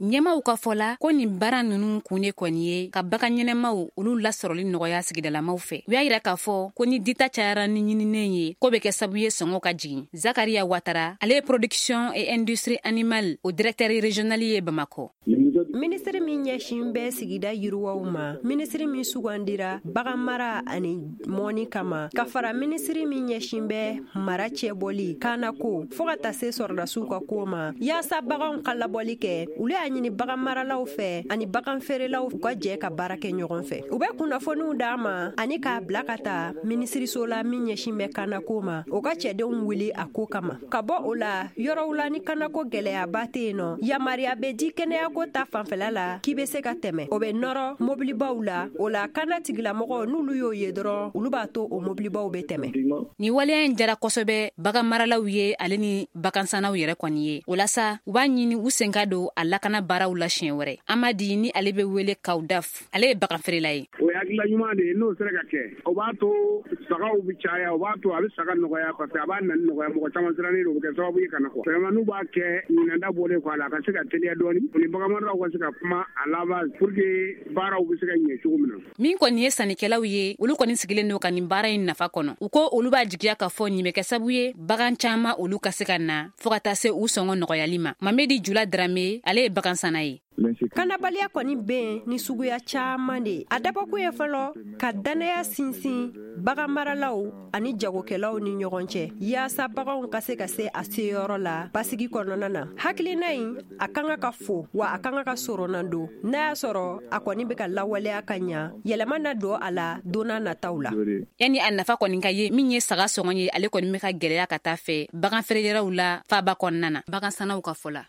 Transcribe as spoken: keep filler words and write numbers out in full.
Ɲɛmaw ka fɔ la ko nin baara ninnu kun de kɔni ye ka bagan ɲɛnɛmaw olu lasɔrɔli nɔgɔya sigidalamaw fɛ. U y'a yira k'a fɔ ko ni dita cayara ni ɲininen ye, k'o bɛ kɛ sababu ye sɔngɔ ka jigin. Zakaria Watara, ale ye production et industrie animale o directeur régional ye Bamakɔ. Minisiri min ɲɛsin bɛ sigida yiriwaw ma, minisiri min sugandira bagan mara ani mɔni kama, ka fara minisiri min ɲɛsin bɛ mara cɛbɔli kanako fɔɔ ka taa se sɔrɔdasiw ka ko ma, yaasa baganw ka labɔli kɛ, olu y'a ɲini bagan maralaw fɛ ani bagan feerelaw u ka jɛ ka baara kɛ ɲɔgɔn fɛ. U bɛ kunnafoniw d'a ma ani k'a bila ka taa minisiriso la min ɲɛsin bɛ kanako ma, o ka cɛdenw wuli a ko kama. Ka bɔ o la, yɔrɔw la ni kanako gɛlɛyaba tɛ yen nɔ, yamaruya bɛ di kɛnɛyako ta fanfɛla la k'i bɛ se ka tɛmɛ, o bɛ nɔrɔ mobilibaw la. O la kana tigilamɔgɔw n'olu y'o ye dɔrɔn, olu b'a to o mobilibaw bɛ tɛmɛ. Nin waleya in jara kosɛbɛ bagan maralaw ye ale ni bagansannaw yɛrɛ kɔni ye. O la sa, u b'a ɲini u sen ka don a lakana baaraw la siɲɛ wɛrɛ. Amadi ni ale bɛ wele Kawudaf, ale ye bagan feerela ye. O ye hakilila ɲuman de ye, n'o sera ka kɛ, o b'a to sagaw bɛ caya, o b'a to a bɛ saga nɔgɔya, parce que a b'a nani nɔgɔya. Mɔgɔ caman sirannen don, o bɛ kɛ sababu ye ka na kɔ. Vraiment n'u b'a kɛ ɲinanda bɔlen kɔ a la, a ka se ka teliya dɔɔni, o ni baganmaralaw ka se ka kuma a laban pour que baaraw bɛ se ka ɲɛ cogo min na. Min kɔni ye sannikɛlaw ye, olu kɔni sigilen don ka nin baara in nafa kɔnɔ. U ko olu b'a jigiya k'a fɔ nin bɛ kɛ sababu ye bagan caman olu ka se ka na fɔɔ ka taa se u sɔngɔ nɔgɔyali ma. Mamedi Jula Darame, ale ye bagan sanna ye. Kanabaliya kɔni bɛ yen ni suguya caman de ye. A dabɔkun ye fɔlɔ ka dannaya sinsin bagan maralaw ani jagokɛlaw ni ɲɔgɔn cɛ, yaasa baganw ka se ka se a seyɔrɔ la basigi kɔnɔna na. Hakilina in a kan ka ka fo, wa a kan ka ka sɔrɔna don n'a y'a sɔrɔ a kɔni bɛ ka lawaleya ka ɲa, yɛlɛma na don a la don n'a nataw la. Yanni a nafa kɔni ka ye, min ye saga sɔngɔ ye, ale kɔni bɛ ka gɛlɛya ka taa fɛ bagan feereyɔrɔw la faaba kɔnɔna na, bagan sannaw ka fɔ la.